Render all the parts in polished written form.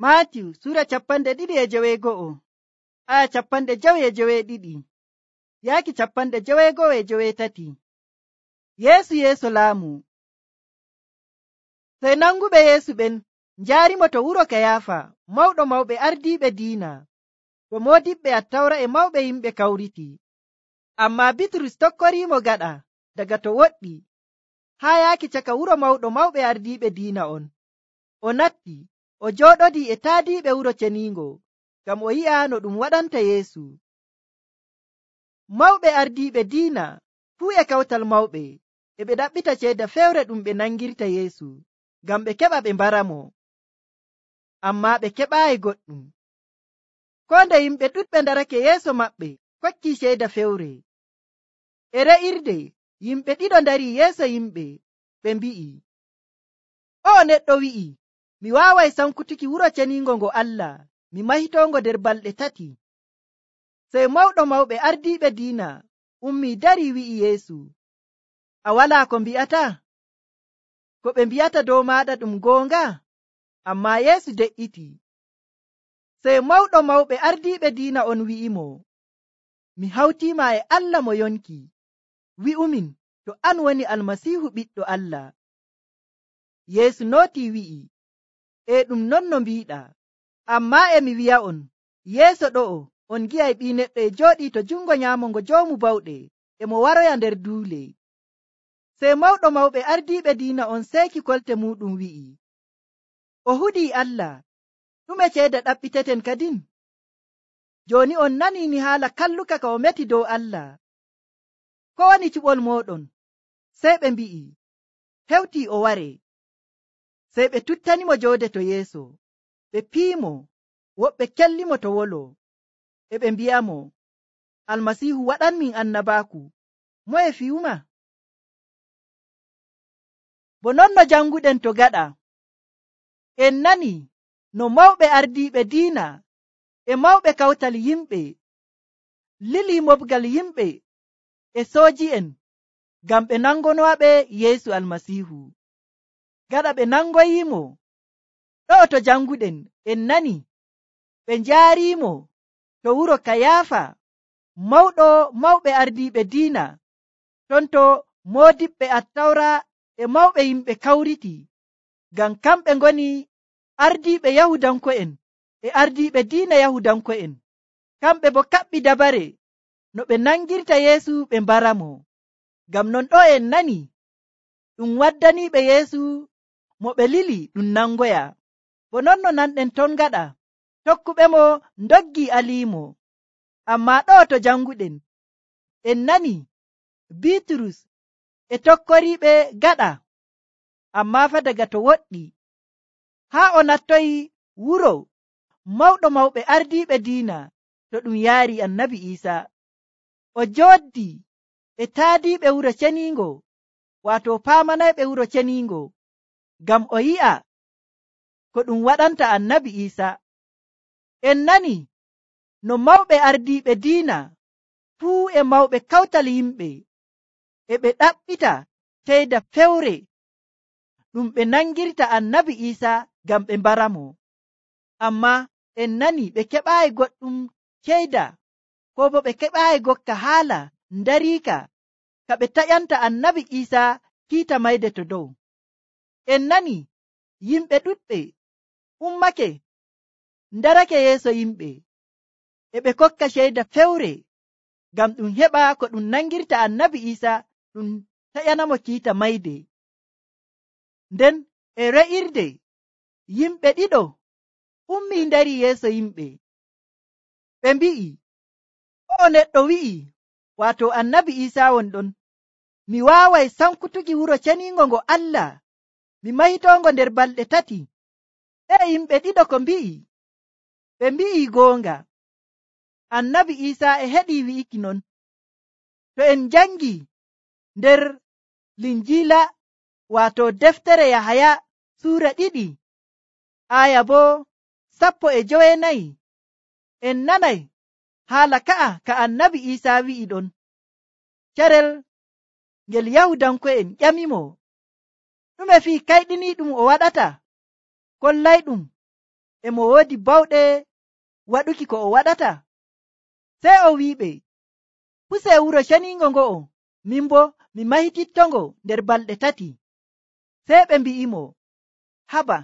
Maatiyu sura 2:52 aya 52 yaaki 53. Yeesu laamu. Sey nanguɓe Yeesu ɓen njaarimo to wuro Kayaafa, mawɗo mawɓe ardiiɓe diina, to moodiɓɓe Attawra e mawɓe yimɓe kawriti. Ammaa Bitrus tokkoriimo gaɗa daga to woɗɗi haa yaaki caka wuro mawɗo mawɓe ardiiɓe diina on. O natti o jooɗodii e taadiiɓe wuro ceniingo ngam o yi'a no ɗum waɗanta Yeesu. Mawɓe ardiiɓe diina fuu e kawtal mawɓe e ɓe ɗaɓɓita ceeda fewre ɗum ɓe nangirta Yeesu ngam ɓe keɓa ɓe mbaramo. Ammaa ɓe keɓaayi goɗɗum. Koo nde yimɓe ɗuɗɓe ndarake yeeso maɓɓe kokkii ceeda fewre. E re'irde yimɓe ɗiɗo ndarii yeeso yimɓe ɓe mbi'i, “O'o neɗɗo wi'i, mi waaway sankutuki wuro ceniingo ngo Allah, mi mahitongo nder balɗe 3.” Sey mawɗo mawɓe ardiiɓe diina ummii darii wi'i Yeesu, “A walaa ko mbi'ata? Ko ɓe mbi'ata dow maaɗa ɗum goonga?” Ammaa Yeesu de'iti. Sey mawɗo mawɓe ardiiɓe diina on wi'imo, “Mi hawtiima e Allah mo yonki. Wi'umin to an woni Almasiihu ɓiɗɗo Allah.” Yeesu nootii wi'i, “E ɗum non no mbiiɗaa. Ammaa e mi wi'a'on, yeeso ɗo'o on ngi'ay Ɓii Neɗɗo e jooɗii to jungo nyaamo ngo Joomu Bawɗe e mo waroya nder duule.” Sey mawɗo mawɓe ardiiɓe diina on seeki kolte muuɗum wi'i, “O hudii Allah. Ɗume ceeda ɗaɓɓiteten kadin? Jooni on nanii ni haala kalluka ka o meti dow Allah. Ko woni cuɓol mooɗon?” Sey ɓe mbi'i, “Hewtii o waree.” Sey ɓe tuttanimo joode to yeeso, ɓe piimo, woɓɓe kellimo to wolo, e ɓe mbi'amo, “Almasiihu waɗanmin annabaaku, moye fiyuma?” Bo non no janguɗen to gaɗa, en nani no mawɓe ardiiɓe diina e mawɓe kawtal yimɓe lilii moɓgal yimɓe e sooji'en ngam ɓe nangonowaɓe Yeesu Almasiihu. Gaɗa ɓe nangoyiimo, ɗo'o to janguɗen en nani ɓe njaariimo to wuro Kayaafa, mawɗo mawɓe ardiiɓe diina, ton to moodiɓɓe Attawra e mawɓe yimɓe kawriti, ngam kamɓe ngoni ardiiɓe Yahudanko'en e ardiiɓe diina Yahudanko'en. Kamɓe bo kaɓɓi dabare no ɓe nangirta Yeesu ɓe mbaramo. Ngam non ɗo en nani ɗum waddaniiɓe Yeesu mo ɓe lili ɗum nangoya. Bo non no nanɗen ton gaɗa, tokkuɓemo ndoggi aliimo. Ammaa ɗo to janguɗen en nani Bitrus e tokkoriiɓe gaɗa, ammaa fa daga to woɗɗi haa o nattoyi wuro mawɗo mawɓe ardiiɓe diina to ɗum yaari Annabi Iisaa. O jooɗi e taadiiɓe wuro ceniingo, waato paamanayɓe wuro ceniingo, ngam o yi'a ko ɗum waɗanta Annabi Iisaa. En nani no mawɓe ardiiɓe diina fuu e mawɓe kawtal yimɓe e ɓe ɗaɓɓita ceeda fewre ɗum ɓe nangirta Annabi Iisaa ngam ɓe mbaramo. Ammaa en nani ɓe keɓaayi goɗɗum ceeda, ko bo ɓe keɓaayi gokka haala ndariika ka ɓe taƴanta Annabi Iisaa kiita mayde to dow. En nani yimɓe ɗuɗɓe ummake ndarake yeeso yimɓe e ɓe kokka ceeda fewre ngam ɗum heɓa ko ɗum nangirta Annabi Iisaa ɗum taƴanamo kiita mayde. Nden e re'irde yimɓe ɗiɗo ummii ndari yeeso yimɓe, ɓe mbi'i, “O'o neɗɗo wi'i, waato Annabi Iisaa won ɗon, mi waaway sankutuki wuro ceniingo ngo Allah, mi mahitongo nder balɗe 3.” Ɓe yimɓe ɗiɗo ko mbi'i, ɓe mbi'i goonga. Annabi Iisaa e heɗii wi'iki non. To en jangi nder Linjiila, waato deftere Yahaya suura 2 aya bo 14, en nanay haala ka'a ka Annabi Iisaa wi'i ɗon. Carel ngel Yahudanko'en ƴamimo, ɗume fii kayɗiniiɗum o waɗata? Kollayɗum e mo woodi bawɗe waɗuki ko o waɗata? Sey o wi'iɓe, pusee wuro ceniingo ngo'o, min bo mi mahitittongo nder balɗe 3. Sey ɓe mbi'imo, haba,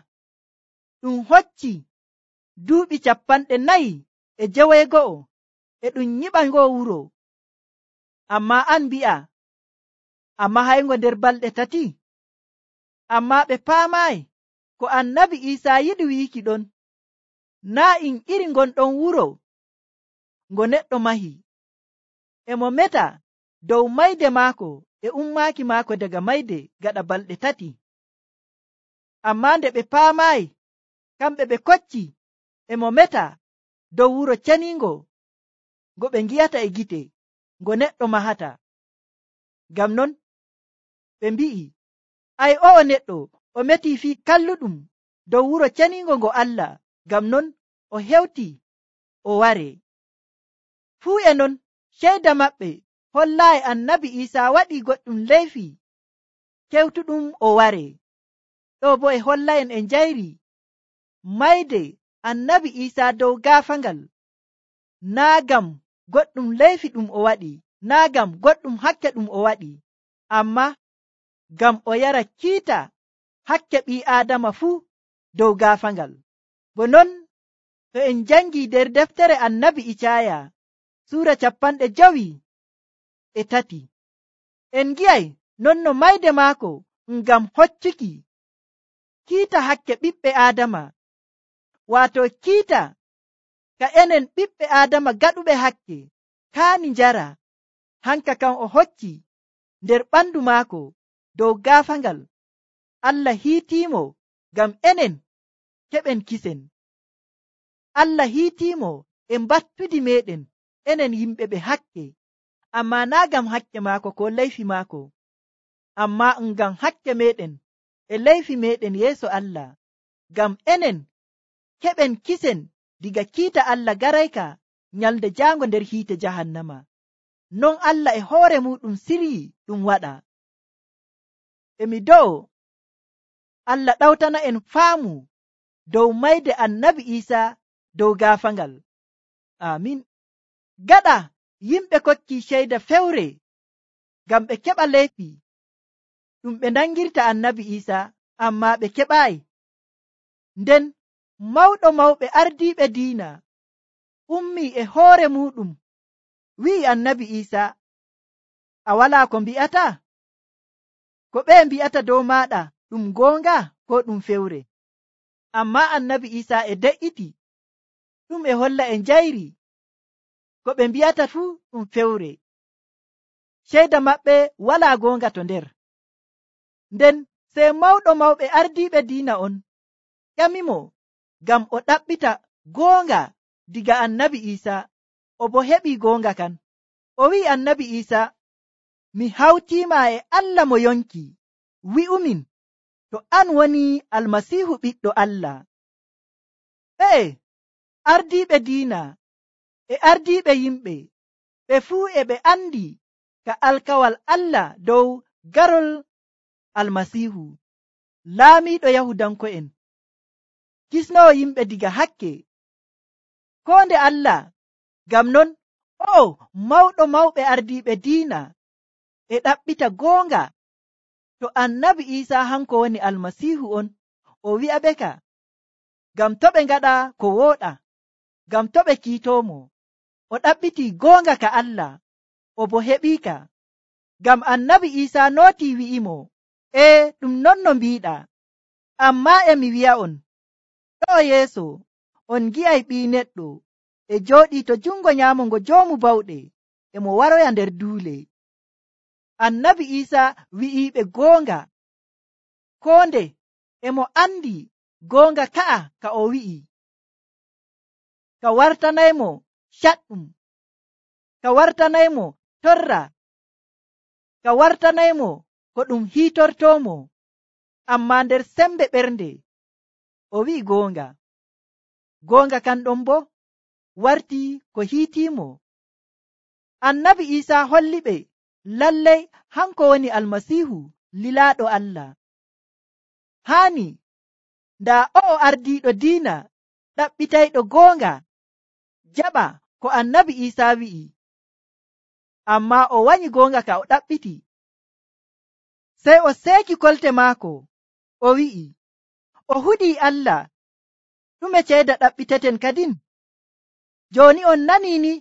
ɗum hocci duuɓi 40 e ɗum nyiɓa ngo wuro, amma an mbi'a a mahayngo nder balɗe 3. Amma ɓe paamaayi ko annabi Iisaa yiɗi wiiki ɗon. Naa in iri ngonɗon wuro ngo neɗɗo mahi, e mo meta dow mayde maako e ummaaki maako daga mayde gaɗa balɗe 3. Amma nde ɓe paamaayi, kamɓe ɓe kocci e mo meta dow wuro ceniingo ngo ɓe ngi'ata e gite, ngo neɗɗo mahata. Ngam non ɓe mbi'i, ai o'o neɗɗo o metii fii kalluɗum dow wuro ceniingo ngo Allah, ngam non o hewti o ware. Fuu e non ceyda maɓɓe hollaayi annabi Iisaa waɗii goɗɗum leyfi kewtuɗum o ware. Ɗo bo e holla'en e njayri mayde annabi Iisaa dow gaafaangal, naa ngam goɗɗum leyfi ɗum o waɗi, naa ngam goɗɗum hakke ɗum o waɗi, amma ngam o yara kiita hakke ɓii aadama fuu dow gaafaangal. Bo non to en jangii nder deftere annabi Icaaya suura 53, en ngi'ay non no mayde maako ngam hoccuki kiita hakke ɓiɓɓe aadama, waato kiita ka enen ɓiɓɓe aadama gaɗuɓe hakke kaani njara, hanka kam o hocci nder ɓandu maako dow gaafaangal. Allah hiitiimo ngam enen keɓen kisen. Allah hiitiimo e mbattudi meɗen enen yimɓe ɓe hakke, amma naa ngam hakke maako ko leyfi maako, amma ngam hakke meɗen e leyfi meɗen yeeso Allah, ngam enen keɓen kisen diga kiita Allah garayka nyalde jaango nder hiite jahannama. Non Allah e hoore muɗum siryi ɗum waɗa. Emi do'o Allah ɗawtana en faamu dow mayde annabi Iisaa dow gaafaangal. Amin. Gaɗa yimɓe kokki ceyda fewre ngam ɓe keɓa leyfi ɗum ɓe nangirta annabi Iisaa, amma ɓe keɓaayi. Nden mawɗo mawɓe ardiiɓe diina ummii e hoore muɗum wi'i annabi Iisaa, a walaa ko mbi'ata? Ko ɓe mbi'ata dow maaɗa ɗum goonga ko ɗum fewre? Amma annabi Iisaa e de'iti, ɗum e holla e njayri ko ɓe mbi'ata fuu ɗum fewre. Ceyda maɓɓe walaa goonga to nder. Nden sey mawɗo mawɓe ardiiɓe diina on ƴamimo ngam o ɗaɓɓita goonga diga annabi Iisaa, o bo heɓii goonga kan. O wi'i annabi Iisaa, mi hawtiima e Allah mo yonki, wi'umin to an woni Almasiihu ɓiɗɗo Allah. Ɓe ardiiɓe diina e ardiiɓe yimɓe ɓe fuu e ɓe andi ka alkawal Allah dow garol Almasiihu, laamiiɗo Yahudanko'en, kisnowo yimɓe diga hakke, ko nde Allah. Ngam non o mawɗo mawɓe ardiiɓe diina e ɗaɓɓita goonga to annabi Iisaa hanko woni Almasiihu on, o wi'a ɓe ka ngam to ɓe ngaɗa ko wooɗa, ngam to ɓe kiitoomo. O ɗaɓɓitii goonga ka Allah, o bo heɓiika. Ngam annabi Iisaa nootii wi'imo, ɗum non no mbiiɗa, amma emi wi'a'on, ɗo yeeso on ngi'ay Ɓii Neɗɗo e jooɗii to jungo nyaamo ngo Joomu Bawɗe, e mo waroya nder duule. Annabi Iisaa wi'iiɓe goonga, koo nde e mo andi goonga ka'a ka o wi'i, ka wartanaymo caɗɗum, ka wartanaymo torra, ka wartanaymo ko ɗum hiitortoomo, amma nder sembe ɓernde o wi'i goonga. Goonga kan ɗon bo wartii ko hiitiimo. Annabi Iisaa holli ɓe lallay hanko woni Almasiihu lilaaɗo Allah. Haani ndaa o'o ardiiɗo diina ɗaɓɓitayɗo goonga jaɓa ko annabi Iisaa wi'i, ammaa o wanyi goonga ka o ɗaɓɓiti. Sey o seeki kolte maako, o wi'i, o hudii Allah, ɗume ceeda ɗaɓɓiteten kadin? Jooni on nanii ni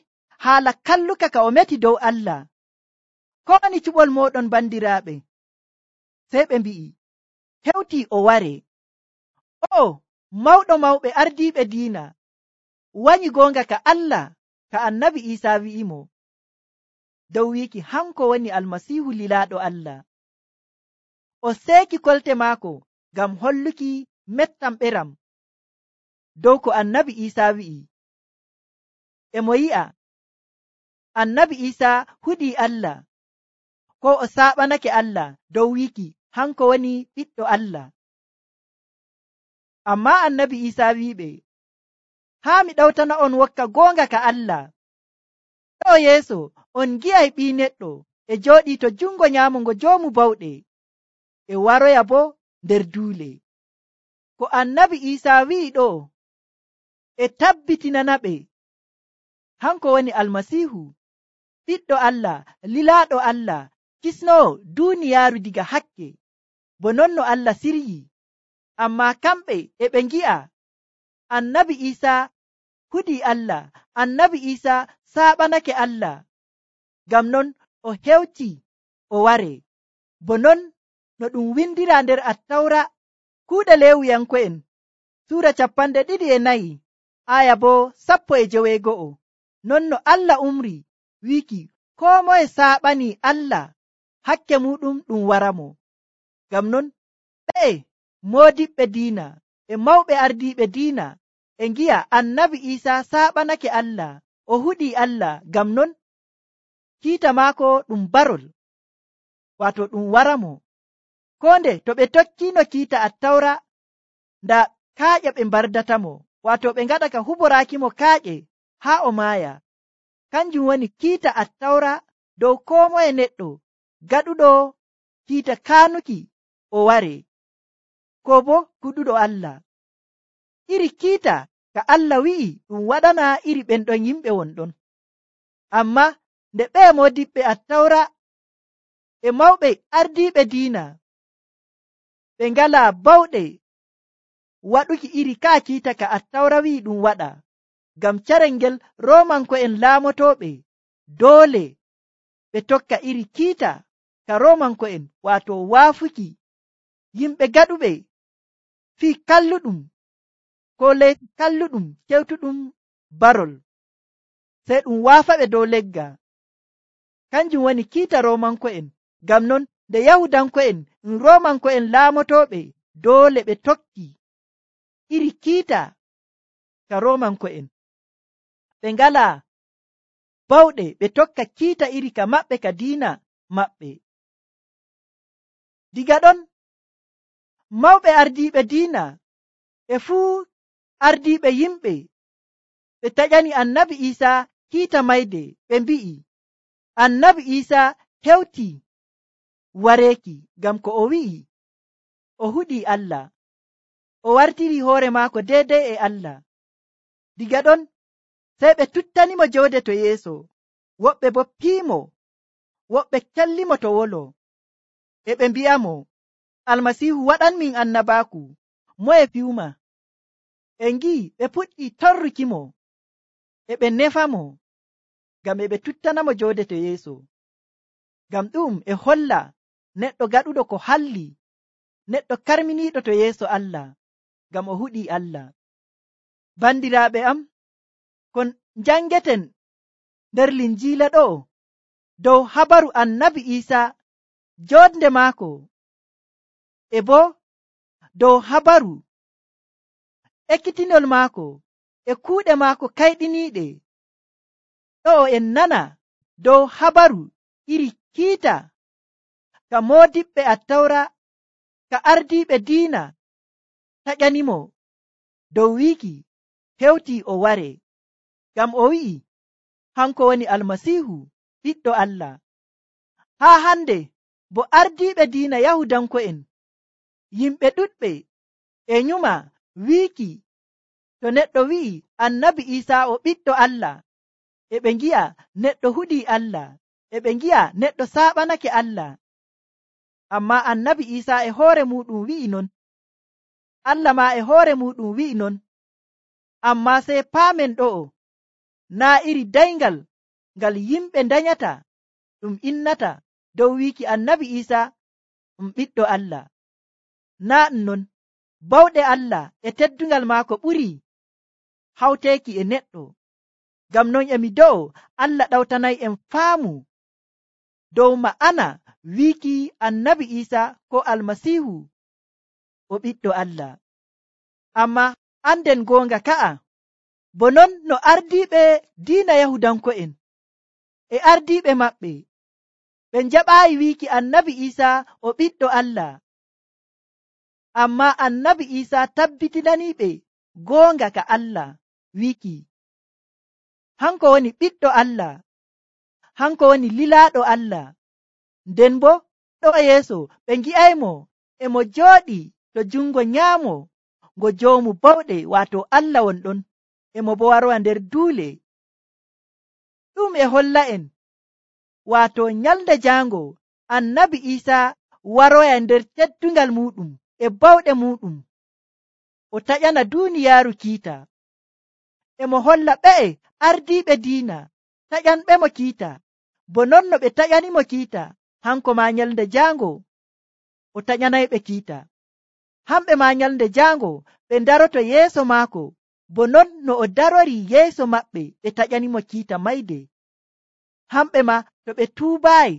haala kalluka ka o meti dow Allah. Ko woni cuɓol mooɗon bandiraaɓe? Sey ɓe mbi'i, hewtii o waree. O mawɗo mawɓe ardiiɓe diina wanyi goonga ka Allah ka annabi Iisaa wi'imo dow wiiki hanko woni almasiihu lilaaɗo Allah. O seeki kolte maako ngam holluki mettam ɓeram dow ko annabi Iisaa wi'i. E mo yi'a annabi Iisaa hudii Allah, ko o saaɓanake Allah dow wiiki hanko woni ɓiɗɗo Allah. Ammaa annabi Iisaa wi'iɓe, haa mi ɗawtana on wokka goonga ka Allah. Ɗo yeeso on ngi'ay Ɓii Neɗɗo e jooɗii to jungo nyaamo ngo Joomu Bawɗe, e waroya boo nder duule. Ko annabi Iisaa wi'i ɗo e tabbitinanaɓe hanko woni almasiihu, ɓiɗɗo Allah, lilaaɗo Allah, kisnoowo duuniyaaru diga hakke, bo non no Allah siryi. Ammaa kamɓe e ɓe ngi'a annabi Iisaa hudii Allah, annabi Iisaa saaɓanake Allah, ngam non o hewti o waree, bo non no ɗum windiraa nder Attawra kuuɗe Leewiyanko'en suura 24 aya boo 19. Non no Allah umri wiiki koo moye saaɓanii Allah hakke muɗum ɗum waramo. Ngam non ɓe moodiɓɓe diina e mawɓe ardiiɓe diina e ngi'a annabi Iisaa saaɓanake Allah, o hudii Allah, ngam non kiita maako ɗum barol, waato ɗum waramo. Koo nde to ɓe tokkiino kiita Attawra, nda kaaƴe ɓe mbardatamo, waato ɓe ngaɗa ka huboraakimo kaaƴe haa o maaya. Kanjum woni kiita Attawra dow koo moye neɗɗo gaɗuɗo kiita kaanuki o waree, ko bo kuɗuɗo Allah. Iri kiita ka Allah wi'i ɗum waɗana iri ɓen ɗon yimɓe wonɗon. Ammaa nde ɓe moodiɓɓe Attawra e mawɓe ardiiɓe diina ɓe ngalaa bawɗe waɗuki iri kaa kiita ka Attawra wi'i ɗum waɗa, ngam carel ngel Roomanko'en laamotooɓe doole ɓe tokka iri kiita ka Roomanko'en, waato waafuki yimɓe gaɗuɓe fii kalluɗum ko leydi kalluɗum kewtuɗum barol, sey ɗum waafaɓe dow legga. Kanjum woni kiita Roomanko'en. Ngam non nde Yahudanko'en Roomanko'en laamotooɓe doole ɓe tokki iri kiita ka Roomanko'en, ɓe ngalaa bawɗe ɓe tokka kiita iri ka maɓɓe ka diina maɓɓe. Diga ɗon mawɓe ardiiɓe diina e fuu ardiiɓe yimɓe ɓe taƴani annabi Iisaa kiita mayde, ɓe mbi'i annabi Iisaa hewtii wareeki, ngam ko o wi'i o hudii Allah, o wartiri hoore maako deydey e Allah. Diga ɗon sey ɓe tuttanimo joode to yeeso, woɓɓe bo piimo, woɓɓe kellimo to wolo, e ɓe mbi'amo, almasiihu waɗanmin annabaaku, moye fiyuma? E ngi'i ɓe puɗɗi torrukimo, e ɓe nefamo, ngam e ɓe tuttanamo joode to yeeso. Ngam ɗum e holla neɗɗo gaɗuɗo ko halli, neɗɗo karminiiɗo to yeeso Allah, ngam o hudii Allah. Bandiraaɓe am, kon njangeten nder Linjiila ɗo dow habaru annabi Iisaa, joodnde maako, e bo dow habaru ekkitinol maako e kuuɗe maako kayɗiniiɗe. Ɗo en nana dow habaru iri kiita ka moodiɓɓe Attawra, ka ardiiɓe diina taƴanimo dow wiiki hewtii o waree, ngam o wi'i hanko woni almasiihu ɓiɗɗo Allah. Haa hande bo ardiiɓe diina Yahudanko'en, yimɓe ɗuɗɓe e nyuma wiiki to neɗɗo wi'i annabi Iisaa o ɓiɗɗo Allah, e ɓe ngi'a neɗɗo huɗii Allah, e ɓe ngi'a neɗɗo saaɓanake Allah. Amma annabi Iisaa e hoore muɗum wi'i non, Allah maa e hoore muɗum wi'i non. Amma sey paamen ɗo'o, naa iri dayngal ngal yimɓe ndanyata ɗum innata dow wiiki annabi Iisaa ɗum ɓiɗɗo Allah. Naa ɗum non, bawɗe Allah e teddungal maako ɓurii hawteeki e neɗɗo. Ngam non emi do'o Allah ɗawtanay'en faamu dow ma'ana wiiki annabi Iisaa ko Almasiihu o ɓiɗɗo Allah. Amma anden goonga ka'a, bo non no ardiiɓe diina Yahudanko'en e ardiiɓe maɓɓe ɓe njaɓaayi wiiki annabi Iisaa o ɓiɗɗo Allah. Amma annabi Iisaa tabbitinaniiɓe goonga ka Allah wiiki hanko woni ɓiɗɗo Allah, hanko woni lilaaɗo Allah. Nden bo ɗo yeeso ɓe ngi'aymo e mo jooɗi to jungo nyaamo ngo joomu bawɗe, waato Allah wonɗon, e mo bo warowa nder duule. Ɗum e holla'en waato nyalde jaango annabi Iisaa waroya nder teddungal muɗum e bawɗe muɗum o taƴana duuniyaaru kiita. E mo holla ɓe'e ardiiɓe diina taƴanɓemo kiita, bo non no ɓe taƴanimo kiita, hanko ma nyalde jaango o taƴanayɓe kiita. Hamɓe ma nyalde jaango ɓe daroto yeeso maako, bo non no o darori yeeso maɓɓe ɓe taƴanimo kiita mayde. Hamɓe ma to ɓe tuubaayi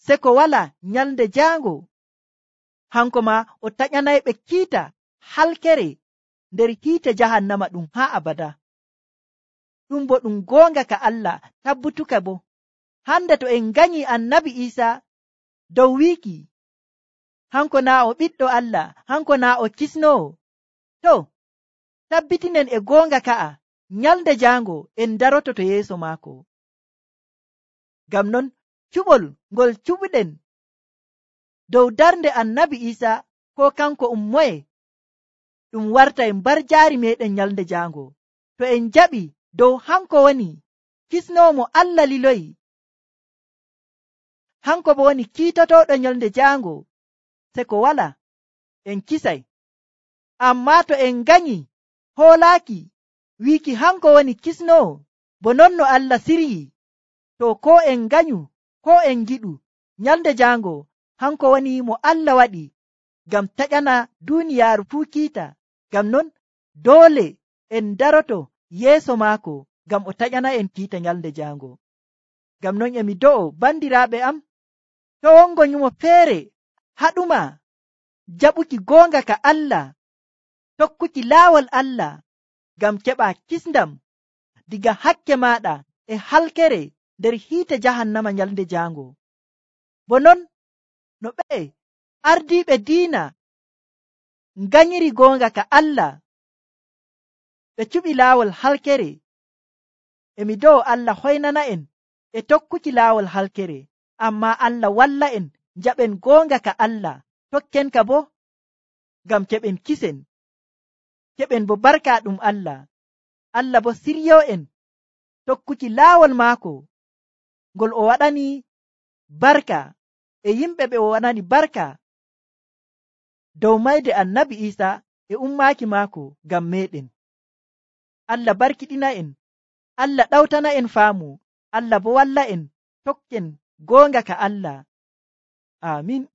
seko wala nyalde jaango, hanko ma o taƴanayɓe kiita halkere nder hiite jahannama ɗum haa abada. Ɗum bo ɗum goonga ka Allah tabbutuka bo. Hande to en ganyi annabi Iisaa dow wiiki hanko naa o ɓiɗɗo Allah, hanko naa o kisnowo, to tabbitinen e goonga ka'a nyalde jaango en daroto to yeeso maako. Ngam non cuɓol ngol cuɓuɗen dow darnde annabi Iisaa ko kanko moye, ɗum warta en barjaari meɗen nyalde jaango. To en jaɓi dow hanko woni kisnowo mo Allah liloyi, hanko bo woni kiitotoɗo nyalde jaango, se ko wala en kisay. Amma to en ganyi hoolaaki wiiki hanko woni kisnowo, bo non no Allah siryi, to ko en ganyu ko en giɗu nyalde jaango hanko woni mo Allah waɗi ngam taƴana duuniyaaru fuu kiita. Ngam non doole en daroto yeeso maako ngam o taƴana en kiita nyalde jaango. Ngam non emi do'o bandiraaɓe am, to wongo nyumo feere haɗuma jaɓuki goonga ka Allah, tokkuki laawol Allah ngam keɓa kisndam diga hakke maɗa e halkere nder hiite jahannama nyalde jaango. Bo non no ɓe ardiiɓe diina nganyiri goonga ka Allah, ɓe cuɓi laawol halkere. Emi do'o Allah hoynana en e tokkuki laawol halkere, amma Allah walla en jaɓen goonga ka Allah, tokken ka bo ngam keɓen kisen, keɓen bo barka ɗum Allah. Allah bo siryo en tokkuki laawol maako ngol o waɗani barka e yimɓe ɓe o waɗani barka dow mayde annabi Iisaa e ummaaki maako ngam meɗen. Allah barkiɗina en, Allah ɗawtana en faamu, Allah bo walla en tokken goonga ka Allah. Amin.